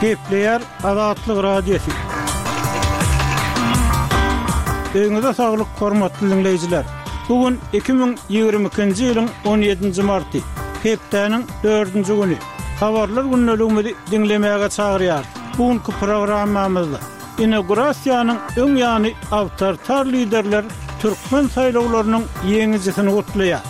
Gepleýär Azatlyk Radiosy. Öýüňize saglyk, hormatly diňleýjiler! Bu gün 2022-nji ýylyň 17-nji marty, hepdäniň dördünji güni. Habarlar gündeligimizi diňlemäge çagyrýarys. Bu günki programmamyzda Inaugurasiýanyň öň ýany awtoritar liderler türkmen saýlawlarynyň ýeňijisini gutlaýar.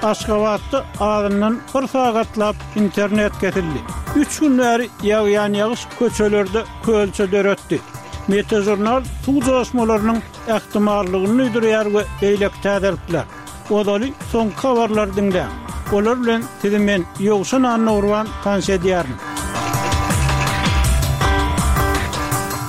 Aşgabatda azyndan bir sagatlap internet kesildi. Üç gün bäri ýagýan ýagyş köçelerde kölçe döretdi. Metažurnal suw joşmalarynyň ähtimallygyny duýdurýar we beýleki täzelikler. Ozaly soňky habarlary diňläň. Olar bilen sizi men, Ýowşan Annagurban tanyş edýärin.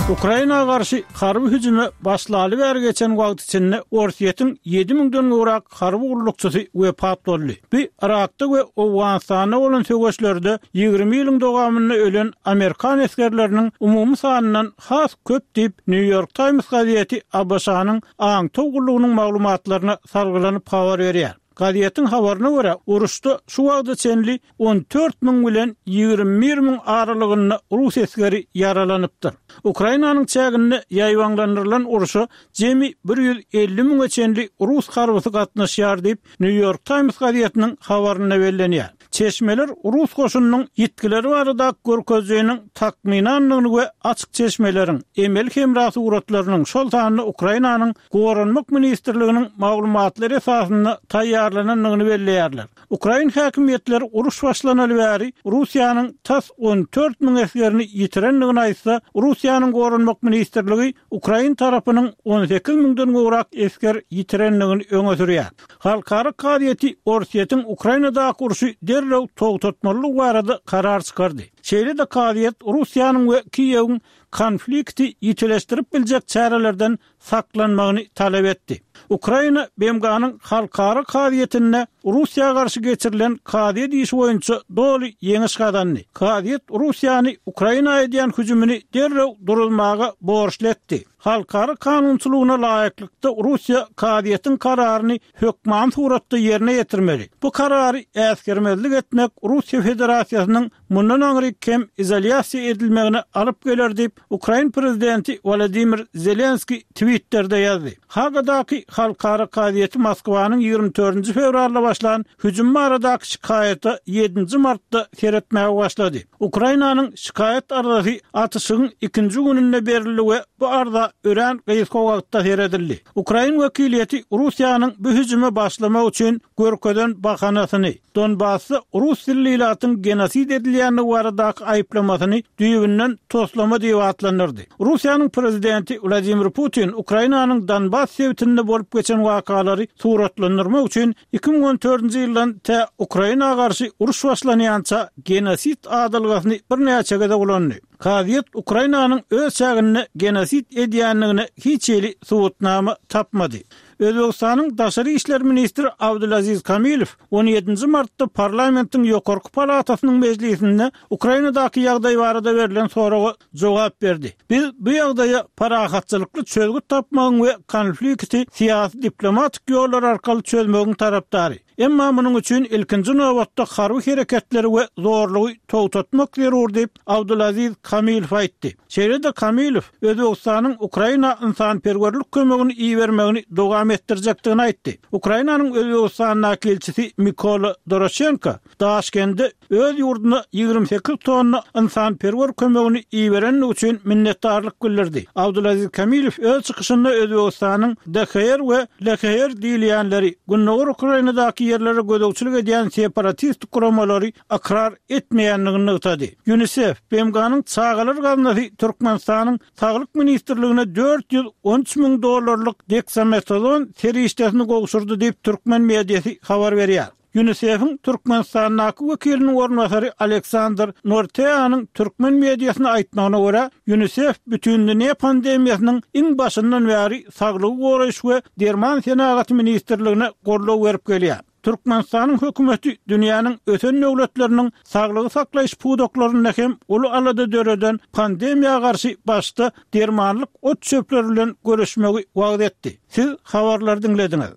Ukraina garşy harby hüjüme başlaly bäri geçen wagt içinde Orsýetiň ýedi müňden gowrak harby gullukçysy wepat boldy. Bu Yrakda we Owganystanda bolan söweşlerde 20 ýylyň dowamynda ölen amerikan esgerleriniň umumy sanyndan has köp diýip, New York Times gazeti ABŞ-nyň aňtaw gullugynyň maglumatlaryna salgylanyp habar berýär. Gazetiň habaryna görä, uruşda şu wagta çenli 14 müň bilen 21 müň aralygynda rus esgeri ýaralanypdyr. Ukrainanyň çäginde ýaýbaňlandyrylan urşa jemi 150 müňe çenli rus harbysy gatnaşýar diýip, New York Times gazetiniň habarynda bellenýär. Çeşmeler rus goşunynyň ýitgileri baradaky görkezijiniň takmynandygyny we açyk çeşmeleriň, emeli hemra suratlarynyň, şol sanda Ukrainanyň Goranmak ministrliginiň maglumatlary esasynda taýýarlanandygyny belleýärler. Ukrain häkimiýetleri uruş başlanaly bäri Russiýanyň tas 14 müň esgerini ýitirendigini aýtsa, Russiýanyň Goranmak ministrligi ukrain tarapynyň 18 müňden gowrak esger ýitirendigini öňe sürýär. Halkara kazyýeti Orsýetiň Ukrainadaky urşy derrew togtatmalydygy barada karar çykardy. Şeýle-de kazyýet Russiýanyň we Kiýewiň konflikti ýitileşdirip biljek çärelerden saklanmagyny talap etdi. Ukraina BMG-niň Halkara kazyýetinde Russiýa garşy geçirilen kazyýet işi boýunça doly ýeňiş gazandy. Kazyýet Russiýany Ukraina edýän hüjümini derrew duruzmaga borçly etdi. Halkara kanunçylygyna laýyklykda Russiýa kazyýetiň kararyny hökmany suratda ýerine ýetirmeli. Bu karary äsgermezlik etmek Russiýa Federasiýasynyň mundan aňryk hem izolýasiýa edilmegine alyp geler diýip, ukrain prezidenti Wolodymyr Zelenskiý Twitterde ýazdy. Hagadaky Halkara kazyýeti Moskwanyň 24-nji fewralda başlan hüjümi baradaky şikaýata ýedinji martda seretmäge başlady. Ukrainanyň şikaýat arzasy atyşygyň ikinji gününde berildi we bu arza örän gysga wagtda seredildi. Ukrain wekiliýeti Russiýanyň bu hüjüme başlamak üçin görkezen bahanasyny, Donbasda rus dilli ilatyň genosid edilýändigi baradaky aýyplamasyny düýbünden toslama diýip atlandyrdy. Russiýanyň prezidenti Wladimir Putin Ukrainanyň Donbas sebitinde bolup geçen wakalary suratlandyrmak üçin 2014-nji ýyldan tä Ukraina garşy uruş başlanýança genosid adalgasyny birnäçe gezek ulandy. Kazyýet Ukrainanyň öz çäginde genosid edýändigine hiç hili subutnama tapmady. Özbegistanyň daşary işler ministri Abdulaziz Kamilow on ýedinji martda parlamentiň ýokarky palatasynyň mejlisinde Ukrainadaky ýagdaý barada berlen soraga jogap berdi. Biz bu ýagdaýa parahatçylykly çözgüt tapmagyň we konflikti syýasy-diplomatik ýollar arkaly çözmegiň tarapdary. Emma munuň üçin ilkinji nobatda harby hereketleri we zorlugy togtatmak zerur diýip, Abdulaziz Kamilow aýtdy. Şeýle-de Kamilow Özbegistanyň Ukraina ynsanperwerlik kömegini ibermegini dowam etdirjekdigini aýtdy. Ukrainanyň Özbegistandaky ilçisi Mikola Doroşenko Daşkende öz ýurduna 28 tonna ynsanperwer kömegini iberendigi üçin minnetdarlyk bildirdi. Abdulaziz Kamilow öz çykyşynda Özbegistanyň DHR we LHR diýilýänleri, Gündogar Ukrainadaky ýerlere gözegçilik edýän separatist guramalary ykrar etmeýändigini nygtady. Ýunisef, BMG-niň Çagalar gaznasy Türkmenistanyň Saglyk ministrligine 413 müň dollarlyk deksametazon serişdesini gowşurdy diýip, türkmen mediasy habar berýär. Ýunisef-iň Türkmenistandaky wekiliniň orunbasary Aleksandr Norteanyň türkmen mediasyna aýtmagyna görä, Ýunisef bütindünýä pandemiýasynyň iň başyndan bäri Saglygy goraýyş we derman senagaty ministrligine goldaw berip gelýär. Türkmenistanyň hökümeti dünýäniň ösen döwletleriniň saglygy saklaýyş pudaklarynda hem uly alada döreden pandemiýa garşy başda dermanlyk ot-çöpler bilen göreşmegi wagyz etdi. Siz habarlary diňlediňiz.